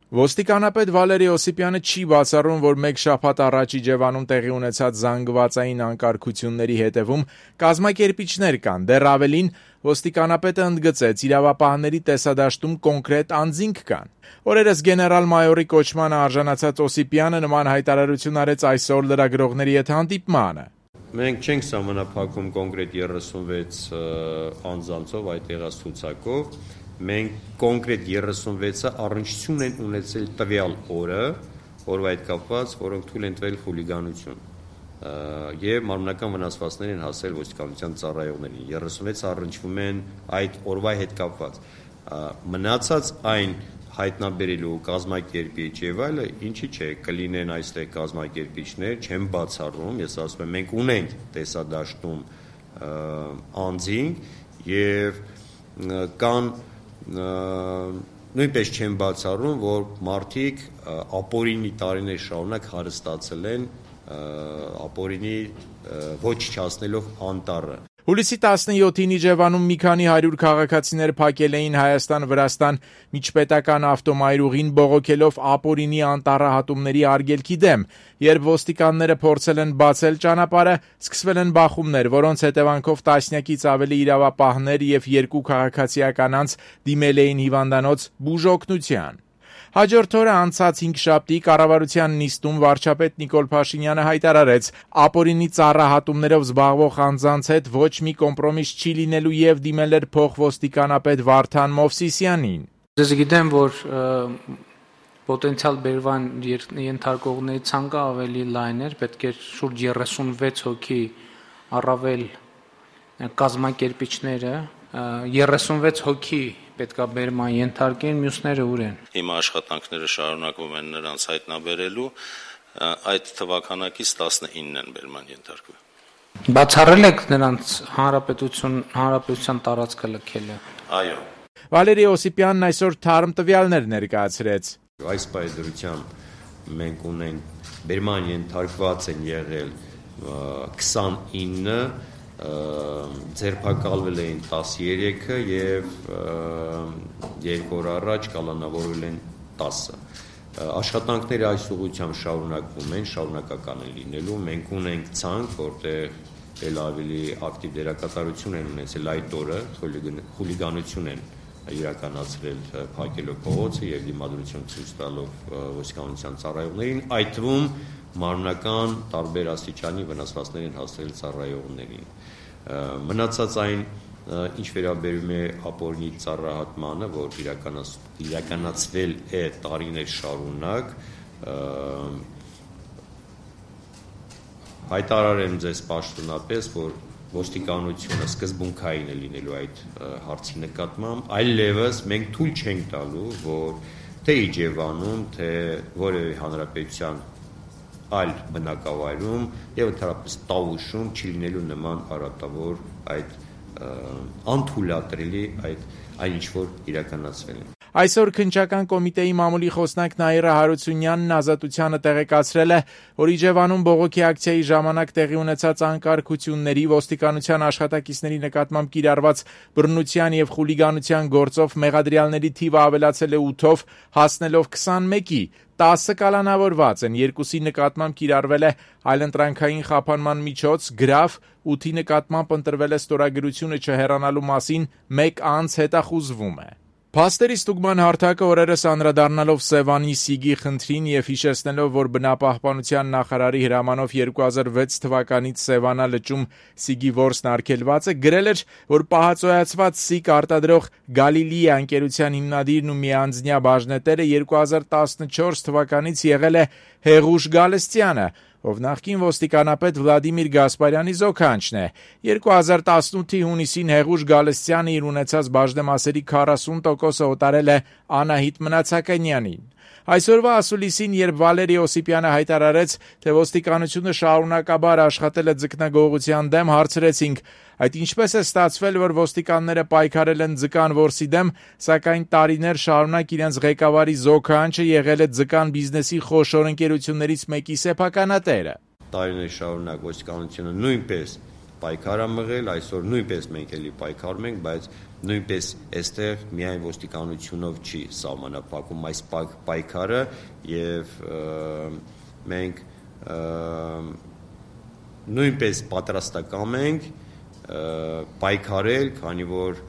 Ոստիկանապետ Վալերի Օսիպյանը չի բացառում, որ մեկ շաբաթ առաջ Իջևանում տեղի ունեցած զանգվածային անկարգությունների հետևում կազմակերպիչներ կան, դեռ ավելին, ոստիկանապետը ընդգծեց, իրավապահների տեսադաշտում կոնկրետ անձինք կան։ Օրերս գեներալ-մայորի կոչմանը արժանացած Օսիպյանը նման հայտարարություն արեց այսօր լրագրողների հետ հանդիպմանը։ Մենք չենք սահմանափակում կոնկրետ 36 անձանցով այդ եղած ցուցակով, մենք կոնկրետ 36-ը առնչություն են ունեցել տվյալ օրը, օրվա հետ կապված, որոնք թույլ են տվել խուլիգանություն եւ մարմնական վնասվածքներ են հասել ոստիկանության ծառայողներին։ 36-ը առնչվում են այդ օրվա հետ կապված։ Մնացած այն հայտնաբերելու կազմակերպիչ եւ այլը, ինչի՞ չէ, կլինեն այստեղ կազմակերպիչներ, չեմ բացառում, ես ասում եմ, մենք ունենք տեսադաշտում անձինք եւ կան նույնպես չեմ բացառում, որ մարդիկ ապօրինի տարիներ շարունակ հարստացել են ապօրինի ոչ չացնելով անտառը։ Հուլիսի 17-ին Իջևանում մի քանի 100 քաղաքացիներ փակել էին Հայաստան-Վրաստան միջպետական ավտոմայրուղին բողոքելով ապօրինի անտառահատումների արգելքի դեմ, երբ ոստիկանները փորձել են բացել ճանապարհը, սկսվել են բախումներ, որոնց հետևանքով տասնյակից ավելի իրավապահներ եւ 2 քաղաքացիական անձ դիմել էին հիվանդանոց բուժօգնության։ Հաջորդ օրը անցած 5 շաբթի կառավարության նիստում վարչապետ Նիկոլ Փաշինյանը հայտարարեց, ապօրինի ծառահատումներով զբաղվող անձանց հետ ոչ մի կոմպրոմիս չի լինելու եւ դիմել էր փոխոստիկանապետ Վարդան Մովսիսյանին։ Ես գիտեմ, որ պոտենցիալ բերման ենթարկողների ցանկը ավելի լայն էր, պետք էր շուրջ 36 հոգի առավել կազմակերպիչները, 36 հոգի պետք է բերման ենթարկեն, մյուսները ուր են։ Հիմա աշխատանքները շարունակվում են նրանց հայտնաբերելու, այդ թվականակից 19-ն են բերման ենթարկվում։ Բացառել եք նրանց հանրապետության տարածքը լքելը։ Այո։ Վալերի Օսիպյանն այսօր թարմ տվյալներ ներկայացրեց։ Այս պայծրությամբ մենք ունենք բերման ենթարկված են եղել 29, ձերբակալվել էին 13-ը եւ 2 օր առաջ կալանավորվել են 10-ը։ Աշխատանքները այս ուղղությամբ շարունակվում են, շարունակական են լինելու։ Մենք ունենք ցանկ, որտեղ էլ ավելի ակտիվ դերակատարություն են ունեցել այդ օրը, խուլիգանություն են իրականացրել փակելով փողոցը եւ դիմադրություն ցույց տալով ոստիկանության ծառայողներին, այդ թվում մարմնական տարբեր աստիճանի վնասվածքներ են հասցրել ծառայողներին։ Մնացած այն, ինչ վերաբերում է ապօրինի ծառահատմանը, որ իրականացվել է տարիներ շարունակ, հայտարարեմ ձեզ պաշտոնապես, որ ոստիկանությունը սկզբունքային է լինելու այդ հարցի նկատմամբ, այլևս մենք թույլ չենք տալու, որ թե Իջևանում, թե որևէ հանրապետության այլ բնակավայրում եւ ընդհանրապես Տավուշում չի լինելու նման արատավոր այդ անթույլատրելի այն ինչ որ իրականացվել է։ Այսօր քննչական կոմիտեի մամուլի խոսնակ Նաիրա Հարությունյանն Ազատությանը տեղեկացրել է, որ Իջևանում բողոքի ակցիայի ժամանակ տեղի ունեցած անկարգությունների ոստիկանության աշխատակիցների նկատմամբ կիրառված բռնության եւ խուլիգանության գործով մեղադրյալների թիվը ավելացել է 8-ով, հասնելով 21-ի, 10 կալանավորված են, 2-ի նկատմամբ կիրառվել է այլընտրանքային խափանման միջոց, գրավ, 8-ի նկատմամբ ընտրվել է ստորագրությունը չհեռանալու մասին 1 անձ հետախուզվում է։ Փաստերի ստուգման հարթակը օրերս անդրադառնալով Սևանի Սիգի խնդրին եւ հիշեցնելով, որ բնապահպանության նախարարի հրամանով 2006 թվականից Սևանա լճում Սիգի որսն արգելված է, գրել էր, որ պահածոյացված Սիգ արտադրող Գալիլիա ընկերության հիմնադիրն ու միանձնյա բաժնետերը 2014 թվականից եղել է Հեղուշ Գալստյանը, ով նախկին ոստիկանապետ Վլադիմիր Գասպարյանի զոքանչն է։ 2018-ի հունիսին Հեղուշ Գալստյանը իր ունեցած բաժնեմասերի 40%-ը օտարել է Անահիտ Մնացականյանին։ Այսօրվա ասուլիսին, երբ Վալերի Օսիպյանը հայտարարեց, թե ոստիկանությունը շարունակաբար աշխատել է ձկնագողության դեմ, հարցրեցինք, այդ ինչպես է ստացվել, որ ոստիկանները պայքարել են ձկան որսի դեմ, սակայն տարիներ շարունակ իրենց ղեկավարի զոքանչը եղել է ձկան բիզնեսի խոշոր ընկերություններից մեկի սեփականատերը։ Տարիներ շարունակ ոստիկանությունը նույնպես պայքար է մղել, այսօր նույնպես մենք էլի պայքարում ենք, բայց Նույնպես այստեղ միայն ոստիկանությունով չի սահմանափակում այս պայքարը եւ մենք նույնպես պատրաստական ենք պայքարել, քանի որ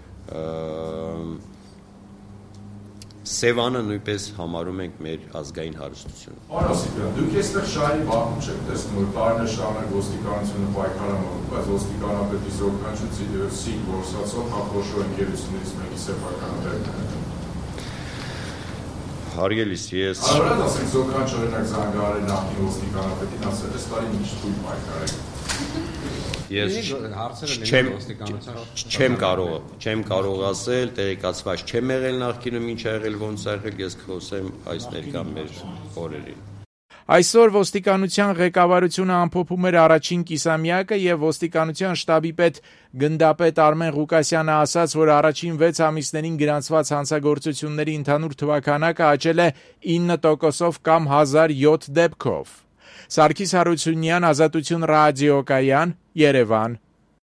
Սևանը նույնպես համարում ենք մեր ազգային հարստությունը։ Պարոն Ասիպյան, դուք այստեղ շահի վախում չեք տեսնում, որ տարիներ շարունակ ոստիկանությունը պայքարում, բայց ոստիկանապետի զորքանչույցի գործածող հապրոշո ընկերություններից մեկի սեփականատերն է։ Հարգելիս, ես Արդ ասենք զորքանչ օրինակ Զանգարի նախկին ոստիկանապետին ասել է, «Ստարին ինչ թույլ պայքարեք»։ Ես չեմ կարող ասել, տեղեկացված չեմ եղել նախկինում ինչ ա եղել, ոնց ա եղել, ես կխոսեմ այս ներկա մեր օրերին։ Այսօր ոստիկանության ղեկավարությունը ամփոփում էր առաջին կիսամյակը եւ ոստիկանության շտաբի պետ գնդապետ Արմեն Ղուկասյանը ասաց, որ առաջին 6 ամիսներին գրանցված հանցագործությունների ընդհանուր թվաքանակը աճել է 9%-ով կամ 1007 դեպքով։ Սարգիս Հարությունյան, Ազատություն ռադիոկայան, Երևան։